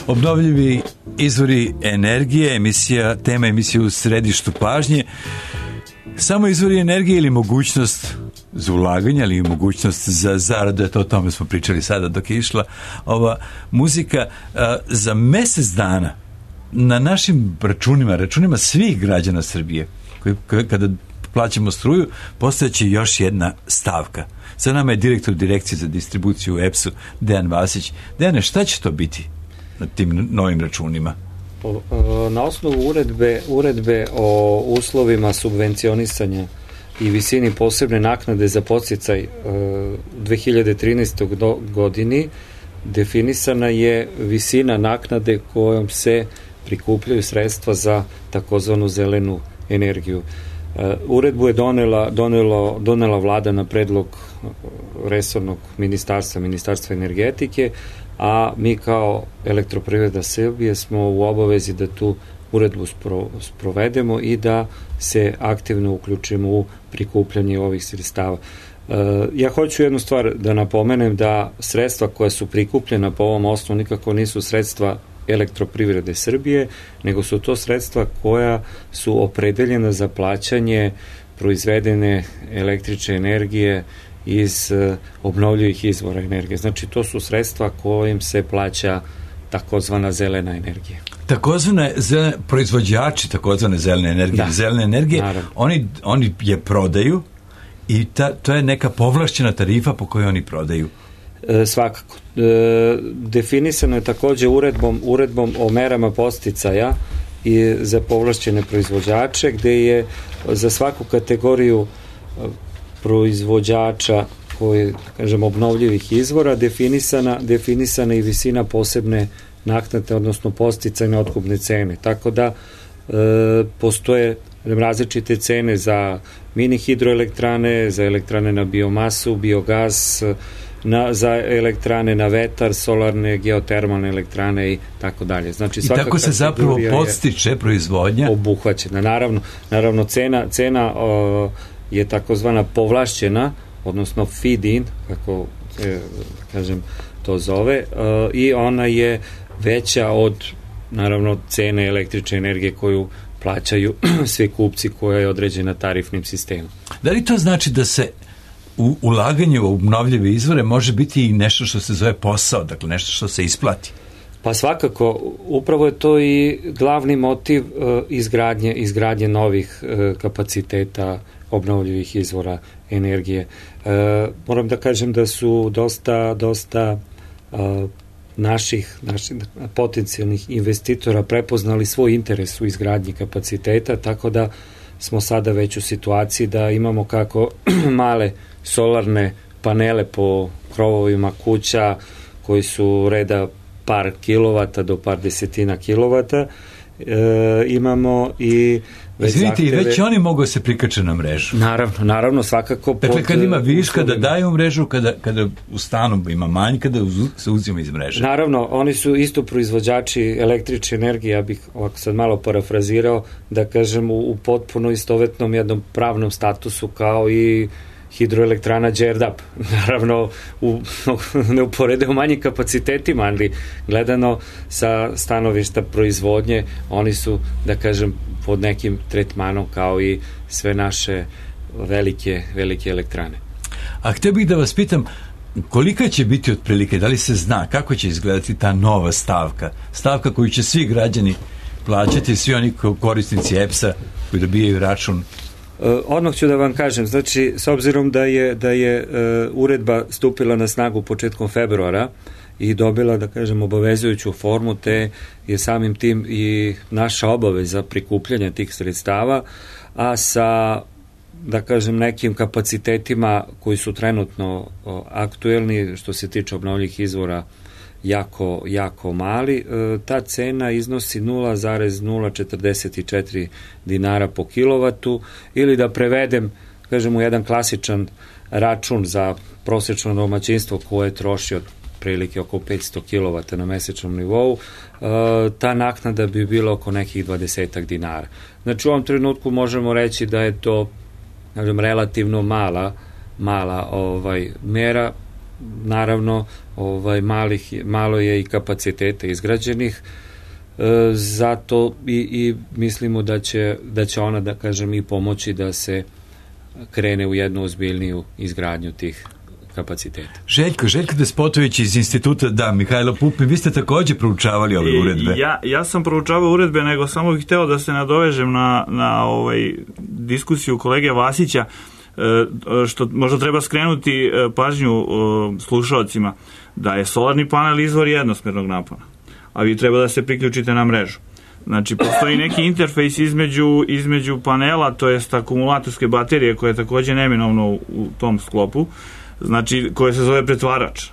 Obnovljivi izvori energije, emisija, tema emisije u središtu pažnje. Samo izvori energije ili mogućnost za ulaganje, ali i mogućnost za zaradu, eto o tome smo pričali sada dok je išla ova muzika. A, za mesec dana na našim računima, računima svih građana Srbije, koji, koji kada plaćamo struju, postojeće još jedna stavka. Sa nama je direktor direkcije za distribuciju u E P S-u, Dejan Vasić. Dejane, šta će to biti na tim novim računima? Na osnovu uredbe, uredbe o uslovima subvencionisanja i visini posebne naknade za podsticaj u dve hiljade trinaestoj godini definisana je visina naknade kojom se prikupljaju sredstva za takozvanu zelenu energiju. Uredbu je donela, donelo, donela vlada na predlog resornog ministarstva, ministarstva energetike, a mi kao Elektroprivreda Srbije smo u obavezi da tu uredbu spro, sprovedemo i da se aktivno uključimo u prikupljanje ovih sredstava. E, ja hoću jednu stvar da napomenem, da sredstva koja su prikupljena po ovom osnovu nikako nisu sredstva Elektroprivrede Srbije, nego su to sredstva koja su opredeljena za plaćanje proizvedene električne energije iz uh, obnovljivih izvora energije. Znači, to su sredstva kojim se plaća takozvana zelena energija. Takozvane zelene, proizvođači takozvane zelene energije, da. zelene energije, oni, oni je prodaju i ta, to je neka povlašćena tarifa po kojoj oni prodaju. E, svakako. E, definisano je takođe uredbom, uredbom o merama podsticaja i za povlašćene proizvođače, gde je za svaku kategoriju proizvođača koji, kažem, obnovljivih izvora definisana, definisana i visina posebne naknade, odnosno podsticajne otkupne cene. Tako da e, postoje različite cene za mini hidroelektrane, za elektrane na biomasu, biogas, na, za elektrane na vetar, solarne, geotermalne elektrane i tako dalje. Znači, i tako se zapravo podstiče proizvodnja? Obuhvaćena. Naravno, naravno cena, cena o, je takozvana povlašćena, odnosno feed-in, kako e, kažem to zove, o, i ona je veća od, naravno, cene električne energije koju plaćaju svi kupci, koja je određena tarifnim sistemom. Da li to znači da se u ulaganje u obnovljive izvore može biti i nešto što se zove posao, dakle nešto što se isplati? Pa svakako, upravo je to i glavni motiv uh, izgradnje, izgradnje novih uh, kapaciteta obnovljivih izvora energije. Uh, moram da kažem da su dosta, dosta uh, naših, naših potencijalnih investitora prepoznali svoj interes u izgradnji kapaciteta, tako da smo sada već u situaciji da imamo kako male solarne panele po krovovima kuća koji su reda par kilovata do par desetina kilovata. E, imamo i već Izvinite, zahteve... i već oni mogu se prikače na mrežu. Naravno, naravno, svakako. Dakle, kad ima viška da daju mrežu, kada, kada u stanu ima manj, kada se uzima iz mreže. Naravno, oni su isto proizvođači električne energije, ja bih ovako sad malo parafrazirao, da kažem, u, u potpuno istovetnom jednom pravnom statusu kao i hidroelektrana Đerdap, naravno u neuporedivo manjim kapacitetima, ali gledano sa stanovišta proizvodnje, oni su, da kažem, pod nekim tretmanom kao i sve naše velike, velike elektrane. A htio bih da vas pitam, kolika će biti otprilike, da li se zna kako će izgledati ta nova stavka, stavka koju će svi građani plaćati, svi oni korisnici E P S-a koji dobijaju račun? Uh, odmah ću da vam kažem, znači s obzirom da je, da je uh, uredba stupila na snagu početkom februara i dobila, da kažem, obavezujuću formu, te je samim tim i naša obaveza prikupljanja tih sredstava, a sa, da kažem, nekim kapacitetima koji su trenutno o, aktuelni što se tiče obnovljivih izvora jako, jako mali, e, ta cena iznosi nula zarez nula četrdeset četiri dinara po kilovatu, ili da prevedem, kažem, u jedan klasičan račun za prosečno domaćinstvo koje troši od prilike oko petsto kilovata na mesečnom nivou, e, ta naknada bi bila oko nekih dvadesetak dinara. Znači u ovom trenutku možemo reći da je to, kažem, relativno mala, mala ovaj, mera. Naravno, ovaj, malih, malo je i kapacitete izgrađenih, e, zato i, i mislimo da će, da će ona, da kažem, i pomoći da se krene u jednu ozbiljniju izgradnju tih kapaciteta. Željko, Željko Despotović iz instituta, da, Mihajlo Pupin, vi ste takođe proučavali ove uredbe. Ja, ja sam proučavao uredbe, nego samo bih hteo da se nadovežem na, na ovaj diskusiju kolege Vasića, što možda treba skrenuti pažnju slušalcima, da je solarni panel izvor jednosmernog napona, a vi treba da se priključite na mrežu. Znači, postoji neki interfejs između, između panela, to jest akumulatorske baterije, koje je takođe neminovno u, u tom sklopu, znači, koje se zove pretvarač.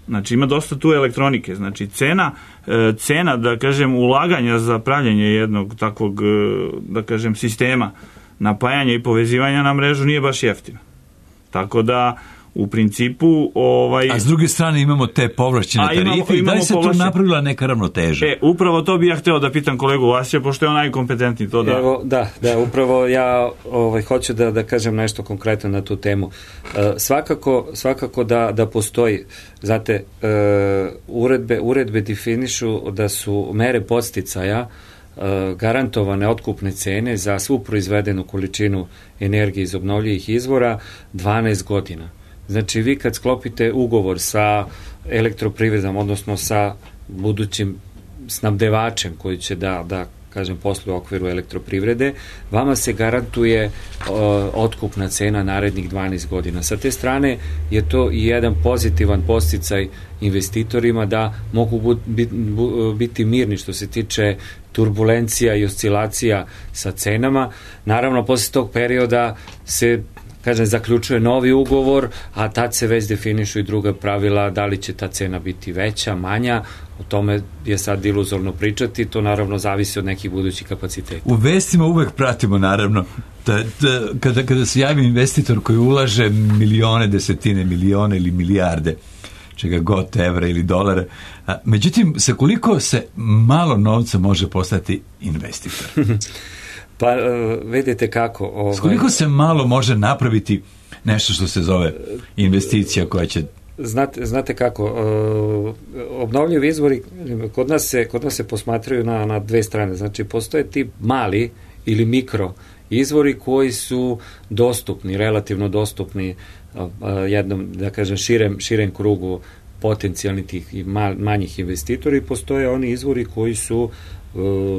Znači, ima dosta tu elektronike. Znači, cena, cena, da kažem, ulaganja za pravljenje jednog takvog, da kažem, sistema napajanja i povezivanja na mrežu nije baš jeftina. Tako da, u principu... Ovaj... A s druge strane imamo te povlašćene tarife i da li se povlašćen... tu napravila neka ravnoteža? E, upravo to bi ja hteo da pitam kolegu Vasića, pošto je on najkompetentniji to da... Evo, da, da, upravo ja ovaj, hoću da, da kažem nešto konkretno na tu temu. E, svakako, svakako da, da postoji, znate, e, uredbe, uredbe definišu da su mere podsticaja garantovane otkupne cene za svu proizvedenu količinu energije iz obnovljivih izvora dvanaest godina. Znači, vi kad sklopite ugovor sa elektroprivredom, odnosno sa budućim snabdevačem koji će da, da kažem, posluje u okviru elektroprivrede, vama se garantuje uh, otkupna cena narednih dvanaest godina. Sa te strane je to i jedan pozitivan podsticaj investitorima da mogu bu, bi, bu, biti mirni što se tiče turbulencija i oscilacija sa cenama. Naravno, posle tog perioda se, kažem, zaključuje novi ugovor, a tad se već definišu i druga pravila, da li će ta cena biti veća, manja, o tome je sad iluzorno pričati, to naravno zavisi od nekih budućih kapaciteta. U vestima uvek pratimo, naravno, da, da, kada, kada se javi investitor koji ulaže milione, desetine milione ili milijarde, čega god, evra ili dolara, a, međutim, sa koliko se malo novca može postati investitor? Pa, uh, vidite kako... Ovaj... S koliko se malo može napraviti nešto što se zove investicija koja će... Znate, znate kako, uh, obnovljivi izvori kod nas se, kod nas se posmatraju na, na dve strane. Znači, postoje ti mali ili mikro izvori koji su dostupni, relativno dostupni uh, jednom, da kažem, širem, širem krugu potencijalnih tih i manjih investitora, i postoje oni izvori koji su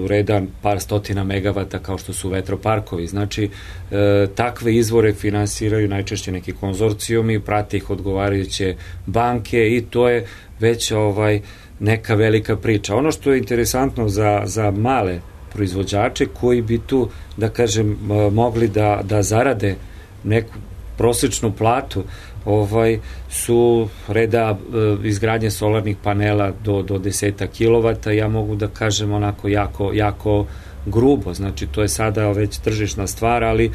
redan par stotina megavata kao što su vetroparkovi. Znači, e, takve izvore finansiraju najčešće neki konzorcijumi, prate ih odgovarajuće banke i to je već ovaj neka velika priča. Ono što je interesantno za, za male proizvođače koji bi tu, da kažem, mogli da, da zarade neku prosečnu platu, ovaj, su reda e, izgradnje solarnih panela do, do deseta kilovata, ja mogu da kažem onako jako, jako grubo, znači to je sada već tržišna stvar, ali e,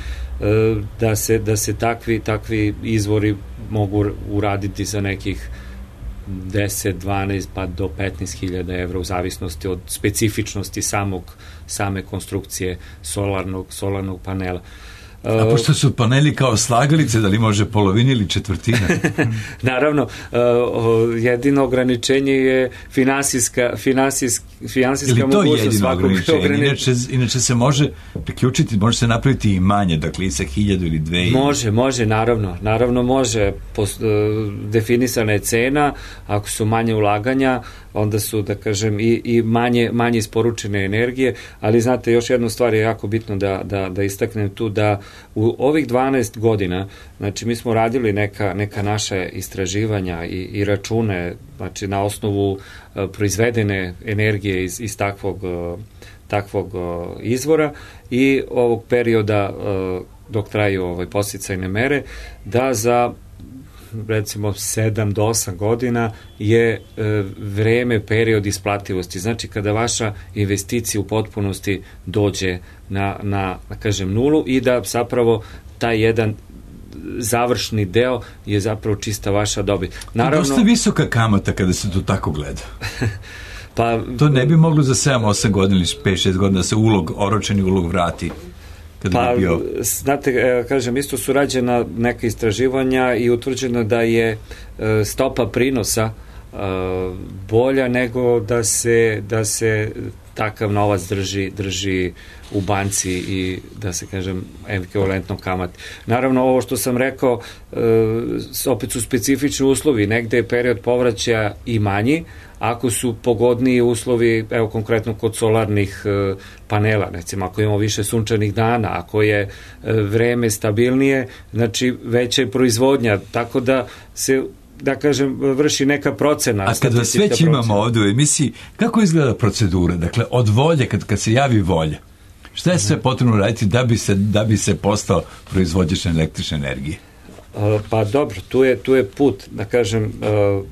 da se, da se takvi, takvi izvori mogu uraditi za nekih deset, dvanaest pa do petnaest hiljada evra u zavisnosti od specifičnosti samog, same konstrukcije solarnog, solarnog panela. A pošto su paneli kao slagalice, da li može polovina ili četvrtina? Naravno, jedino ograničenje je finansijska, finansijska, finansijska mogućnost svakog ograničenja. Inače, inače se može priključiti, može se napraviti i manje, dakle i sa hiljadu ili dve. Može, može, naravno. Naravno može. Post, definisana je cena, ako su manje ulaganja, onda su, da kažem, i, i manje, manje isporučene energije, ali znate, još jednu stvar je jako bitno da, da, da istaknem tu, da u ovih dvanaest godina, znači mi smo radili neka, neka naša istraživanja i, i račune, znači na osnovu uh, proizvedene energije iz, iz takvog, uh, takvog uh, izvora i ovog perioda uh, dok traju ovaj, podsticajne mere, da za recimo sedam do osam godina je e, vreme, period isplativosti. Znači kada vaša investicija u potpunosti dođe na, na, na kažem, nulu i da zapravo taj jedan završni deo je zapravo čista vaša dobit. Naravno, dosta visoka kamata kada se to tako gleda. Pa, to ne bi moglo za sedam osam godina ili pet šest godina da se ulog, oročeni ulog vrati. Pa, znate, kažem, isto su rađena neka istraživanja i utvrđeno da je stopa prinosa bolja nego da se, da se takav novac drži, drži u banci i da se, kažem, ekvivalentno kamat. Naravno, ovo što sam rekao, opet su specifični uslovi, negde je period povraćaja i manji, ako su pogodniji uslovi, evo konkretno kod solarnih e, panela, recimo ako imamo više sunčanih dana, ako je e, vreme stabilnije, znači veća je proizvodnja, tako da se, da kažem, vrši neka procena. A kad vas već imamo ovdje u emisiji, kako izgleda procedura? Dakle, od volje, kad, kad se javi volja, šta je sve potrebno raditi da bi se, da bi se postao proizvođač električne energije? Pa dobro, tu je, tu je put, da kažem,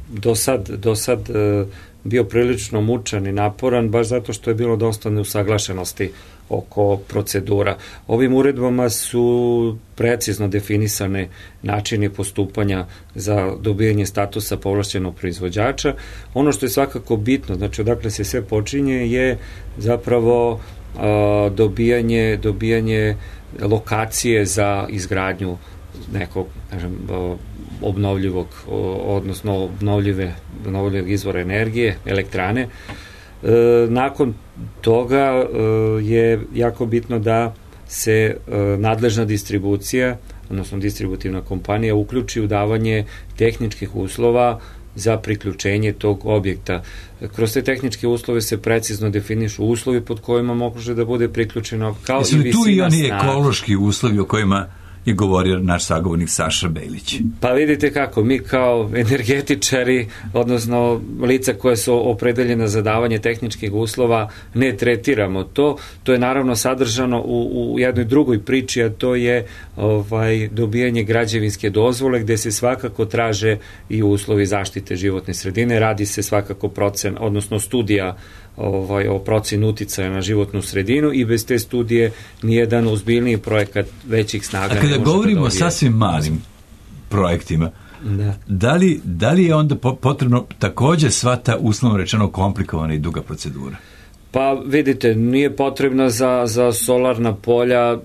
do sad, do sad bio prilično mučan i naporan, baš zato što je bilo dosta neusaglašenosti oko procedura. Ovim uredbama su precizno definisane načini postupanja za dobijanje statusa povlašćenog proizvođača. Ono što je svakako bitno, znači odakle se sve počinje, je zapravo a, dobijanje, dobijanje lokacije za izgradnju nekog, kažem, obnovljivog, odnosno obnovljive, obnovljivog izvora energije, elektrane. E, nakon toga e, je jako bitno da se e, nadležna distribucija, odnosno distributivna kompanija uključi u davanje tehničkih uslova za priključenje tog objekta. Kroz te tehničke uslove se precizno definišu uslovi pod kojima može da bude priključeno, kao Jesu i visina tu i oni snaga. Ekološki uslovi o kojima je govorio naš sagovornik Saša Bejlić? Pa vidite kako, mi kao energetičari, odnosno lica koja su opredeljena za davanje tehničkih uslova, ne tretiramo to. To je naravno sadržano u, u jednoj drugoj priči, a to je ovaj, dobijanje građevinske dozvole, gde se svakako traže i uslovi zaštite životne sredine. Radi se svakako procen, odnosno studija ovaj, o procenu uticaja na životnu sredinu i bez te studije nijedan ozbiljniji projekat većih snaga ne može da dobije. A kada govorimo o sasvim malim projektima, da. Da, li, da li je onda potrebno takođe sva ta uslovno rečeno komplikovana i duga procedura? Pa vidite, nije potrebna za, za solarna polja,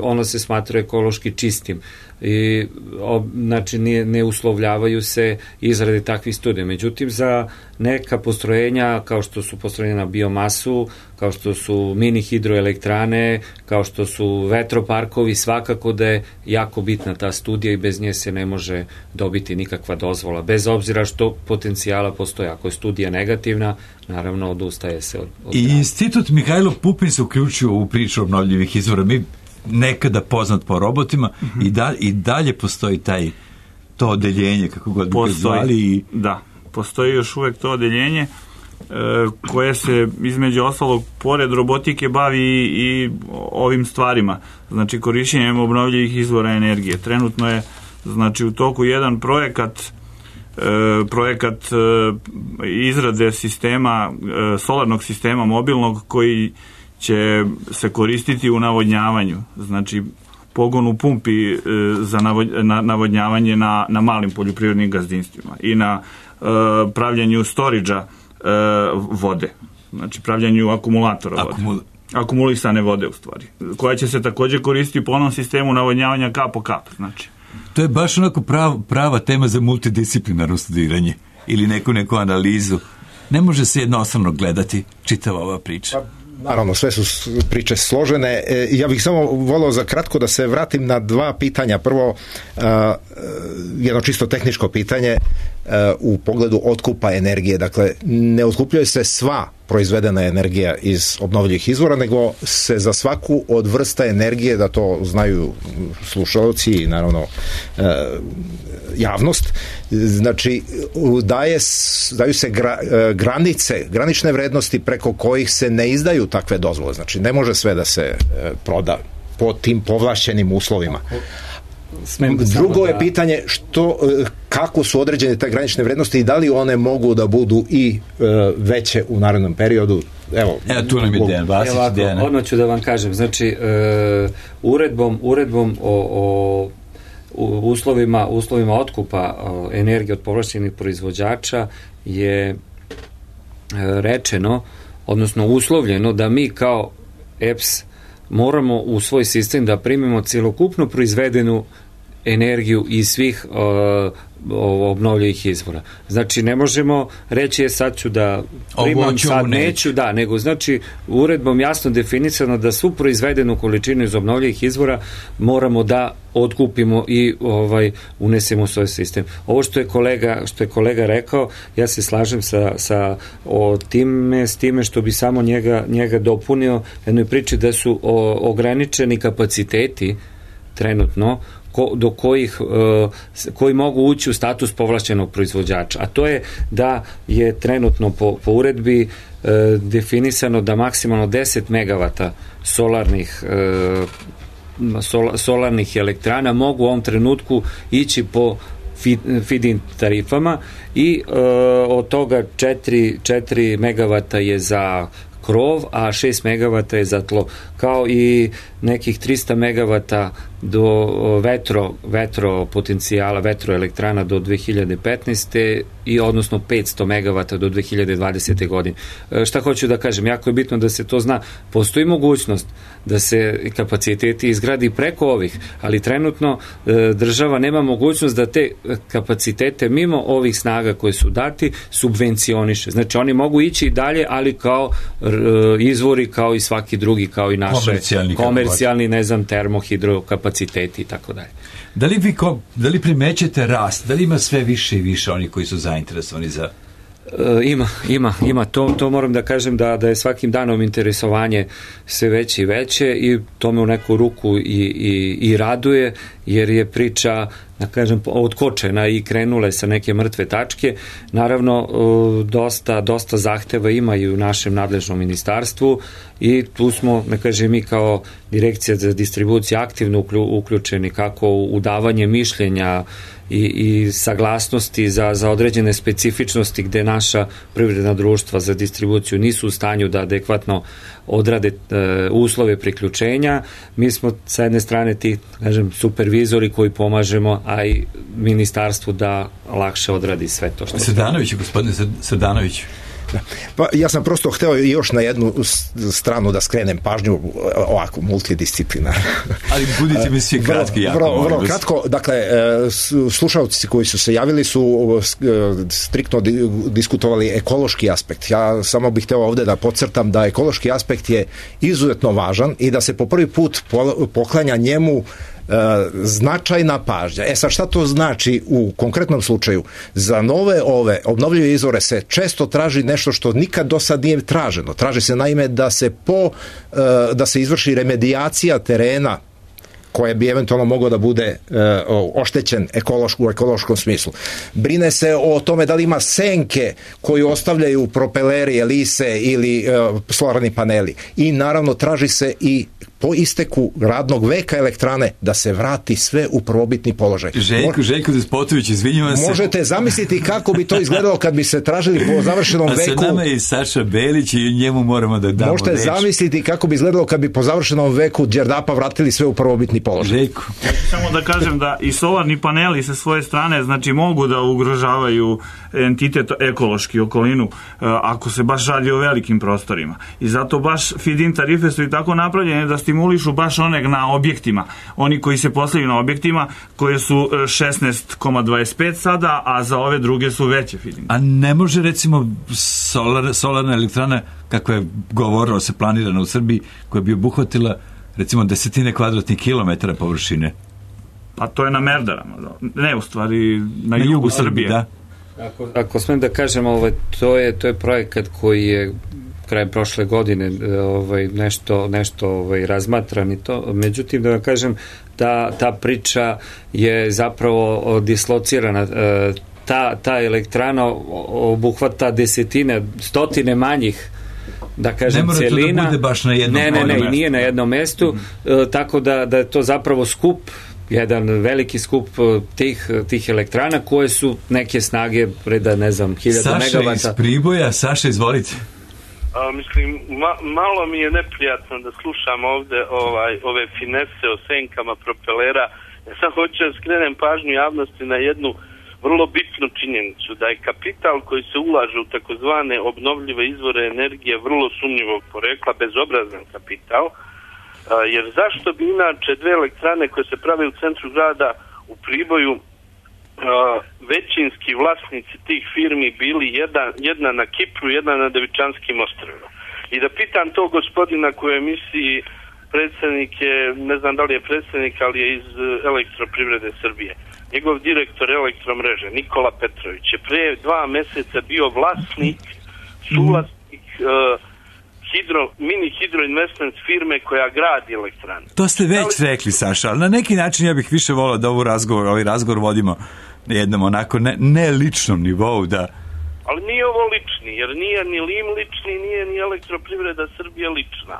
ona se smatra ekološki čistim i o, znači nije, ne uslovljavaju se izrade takvih studija. Međutim, za neka postrojenja kao što su postrojenja na biomasu, kao što su mini hidroelektrane, kao što su vetroparkovi, svakako da je jako bitna ta studija i bez nje se ne može dobiti nikakva dozvola. Bez obzira što potencijala postoje. Ako je studija negativna, naravno odustaje se od, od I Institut Mihajlo Pupin se uključio u priču obnovljivih izvora. Mi nekada poznat po robotima, mm-hmm. i, da, i dalje postoji taj to odeljenje, kako god bi ga zvali. I... Da, postoji još uvek to odeljenje e, koje se između ostalog pored robotike bavi i, i ovim stvarima, znači korišćenjem obnovljivih izvora energije. Trenutno je znači u toku jedan projekat e, projekat e, izrade sistema, e, solarnog sistema mobilnog koji će se koristiti u navodnjavanju, znači pogon u pumpi e, za navod, na, navodnjavanje na, na malim poljoprivrednim gazdinstvima i na e, pravljanju storidža e, vode, znači pravljanju akumulatora vode. Akumul... akumulisane vode u stvari, koja će se također koristiti po onom sistemu navodnjavanja kap po kap, znači. To je baš onako prav, prava tema za multidisciplinarno studiranje ili neku neku analizu. Ne može se jednostavno gledati čitava ova priča. Naravno, sve su priče složene. E, ja bih samo volio za kratko da se vratim na dva pitanja. Prvo, uh, jedno čisto tehničko pitanje uh, u pogledu otkupa energije. Dakle, ne otkupljuje se sva proizvedena energija iz obnovljivih izvora, nego se za svaku od vrsta energije, da to znaju slušalci i naravno uh, javnost, znači daje, daju se gra, granice, granične vrednosti preko kojih se ne izdaju takve dozvole. Znači ne može sve da se proda po tim povlašćenim uslovima. Drugo je pitanje što, kako su određene te granične vrednosti i da li one mogu da budu i veće u narednom periodu. Evo, Evo tu nam je Dejan Vasić. Odmah ću da vam kažem, znači uh, uredbom, uredbom o, o u uslovima, uslovima otkupa energije od povlašćenih proizvođača je rečeno, odnosno uslovljeno da mi kao E P S moramo u svoj sistem da primimo celokupno proizvedenu energiju iz svih uh, obnovljivih izvora. Znači ne možemo reći je sad ću da primam, sad neću, da, nego znači uredbom jasno definisano da svu proizvedenu količinu iz obnovljivih izvora moramo da otkupimo i ovaj unesemo u svoj sistem. Ovo što je kolega, što je kolega rekao, ja se slažem sa, sa o time, s time što bi samo njega, njega dopunio jednoj priči da su o, ograničeni kapaciteti trenutno Ko, do kojih, uh, koji mogu ući u status povlašćenog proizvođača. A to je da je trenutno po, po uredbi uh, definisano da maksimalno deset megavata solarnih uh, sol, solarnih elektrana mogu u ovom trenutku ići po feed-in tarifama i uh, od toga četiri megavata je za krov, a šest megavata je za tlo, kao i nekih trista megavata do vetro, vetro potencijala, vetroelektrana do dve hiljade petnaeste i odnosno petsto megavata do dve hiljade dvadesete godine. E, šta hoću da kažem, jako je bitno da se to zna. Postoji mogućnost da se kapaciteti izgradi preko ovih, ali trenutno e, država nema mogućnost da te kapacitete mimo ovih snaga koje su dati subvencioniše. Znači oni mogu ići i dalje, ali kao e, izvori kao i svaki drugi, kao i naše komercijalni, komercijalni ne znam, termohidro kapaciteti i tako dalje. Da li vi ko, da li primećete rast? Da li ima sve više i više oni koji su zainteresovani za... E, ima, ima, ima. To, to moram da kažem da, da je svakim danom interesovanje sve veće i veće i to me u neku ruku i, i, i raduje, jer je priča, da kažem, odkočena i krenula sa neke mrtve tačke. Naravno, dosta, dosta zahteva ima i u našem nadležnom ministarstvu i tu smo, da kažem, mi kao Direkcija za distribuciju aktivno uključeni kako u davanje mišljenja i, i saglasnosti za, za određene specifičnosti gde naša privredna društva za distribuciju nisu u stanju da adekvatno odrade e, uslove priključenja. Mi smo sa jedne strane ti, kažem, supervizori koji pomažemo, a i ministarstvu da lakše odradi sve to što... Sedanović, gospodine Sedanović. Pa ja sam prosto hteo još na jednu stranu da skrenem pažnju, ovako multidisciplinar. Ali budite mi svi kratki, jako. Vrlo, vrlo kratko, dakle, slušalci koji su se javili su striktno diskutovali ekološki aspekt. Ja samo bih hteo ovde da podcrtam da ekološki aspekt je izuzetno važan i da se po prvi put poklanja njemu značajna pažnja. E sad, šta to znači u konkretnom slučaju? Za nove ove obnovljive izvore se često traži nešto što nikad do sad nije traženo. Traži se naime da se po da se izvrši remedijacija terena koje bi eventualno moglo da bude e, oštećen ekološ, u ekološkom smislu. Brine se o tome da li ima senke koju ostavljaju propeleri, elise ili e, solarni paneli. I naravno traži se i po isteku radnog veka elektrane da se vrati sve u prvobitni položaj. Željko, Željko Despotović, izvinjavam se. Možete zamisliti kako bi to izgledalo kad bi se tražili po završenom a veku. A sa nama je Saša Belić i njemu moramo da damo Možete reč. zamisliti kako bi izgledalo kad bi po završenom veku Đerdapa vratili sve u prvobitni položaj. Željko. Samo da kažem da i solarni paneli sa svoje strane znači mogu da ugrožavaju entitet ekološki okolinu ako se baš radi o velikim prostorima. I zato baš feed-in tarife su i tako napravljene da stimulišu baš one na objektima. Oni koji se postavljaju na objektima koje su šesnaest zarez dvadeset pet sada, a za ove druge su veće feed-in. A ne može recimo solar, solarna elektrana kakva je govorilo se planirana u Srbiji koja bi obuhvatila recimo desetine kvadratnih kilometara površine? Pa to je na Merdarama. Ne, u stvari na, na jugu, jugu Srbije. Da. Ako, ako smem da kažem, ovaj, to je to je projekat koji je krajem prošle godine ovaj, nešto, nešto ovaj, razmatran i to. Međutim, da vam kažem, ta, ta priča je zapravo dislocirana. Ta, ta elektrana obuhvata desetine, stotine manjih, da kažem, ne celina. Ne mora to da bude baš na jednom Ne, ne, ne, mestu. nije na jednom mestu, mm. e, tako da, da je to zapravo skup, jedan veliki skup tih, tih elektrana koje su neke snage preda, ne znam, hiljada megavata. Saša iz Priboja, Saša, izvolite. A, mislim, ma, malo mi je neprijatno da slušam ovde ovaj, ove finese o senkama propelera. Ja sam hoću da skrenem pažnju javnosti na jednu vrlo bitnu činjenicu, da je kapital koji se ulaže u takozvane obnovljive izvore energije vrlo sumnjivog porekla, bezobrazan kapital, a, jer zašto bi inače dve elektrane koje se prave u centru grada u Priboju, a, većinski vlasnici tih firmi bili jedna, jedna na Kipru, jedna na Devičanskim ostrvima. I da pitam to gospodina koji je u emisiji predsjednik je, ne znam da li je predsjednik, ali je iz Elektroprivrede Srbije. Njegov direktor elektromreže, Nikola Petrović, je pre dva meseca bio vlasnik, suvlasnik uh, hidro, mini hidro investment firme koja gradi elektrane. To ste već ali... rekli, Saša, ali na neki način ja bih više volao da ovu razgovor, ovaj razgovor vodimo na jednom onako ne, ne ličnom nivou, da... Ali nije ovo lični, jer nije ni Lim lični, nije ni Elektroprivreda Srbije lična.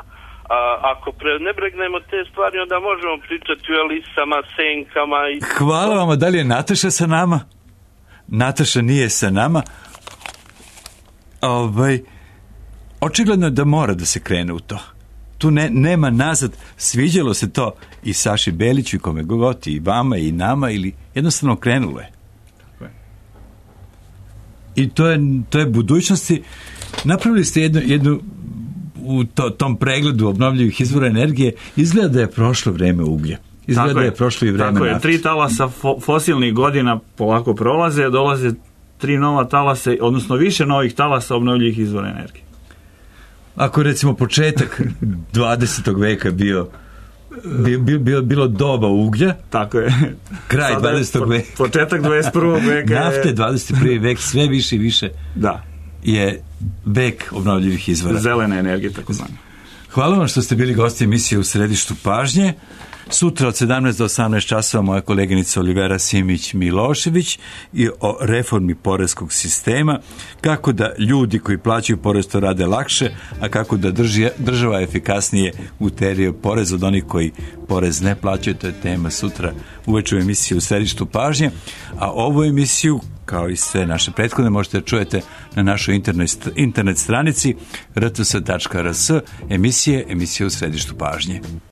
A, ako prenebregnemo te stvari, onda možemo pričati o Elisama, Senkama i... Hvala vam, da li je Nataša sa nama? Nataša nije sa nama. Ovaj, očigledno je da mora da se krene u to. Tu ne, nema nazad. Sviđalo se to i Saši Beliću i kome god, i vama i nama, ili jednostavno krenulo je. I to je, to je budućnosti. Napravili ste jednu, jednu u to, tom pregledu obnovljivih izvora energije, izgleda da je prošlo vreme uglja. Izgleda tako da je, je prošlo i vreme tako nafte. Je, tri talasa fo, fosilnih godina polako prolaze, dolaze tri nova talasa, odnosno više novih talasa obnovljivih izvora energije. Ako recimo početak dvadesetog veka bio Bi, bi, bilo, bilo doba uglja. Tako je. Kraj dvadesetog veka. Početak dvadeset prvog veka. Nafte, dvadeset prvi vek, sve više i više. Da. Je vek obnovljivih izvora. Zelena energija, tako zvana. Hvala vam što ste bili gosti emisije U središtu pažnje. Sutra od sedamnaest do osamnaest časova moja koleginica Olivera Simić-Milošević i o reformi poreskog sistema, kako da ljudi koji plaćaju porez to rade lakše, a kako da drži, država efikasnije uterije porez od onih koji porez ne plaćaju. To je tema sutra uveče u emisiji U središtu pažnje, a ovu emisiju kao i sve naše prethodne možete da čujete na našoj internet, internet stranici r t s tačka r s, emisije, emisije U središtu pažnje.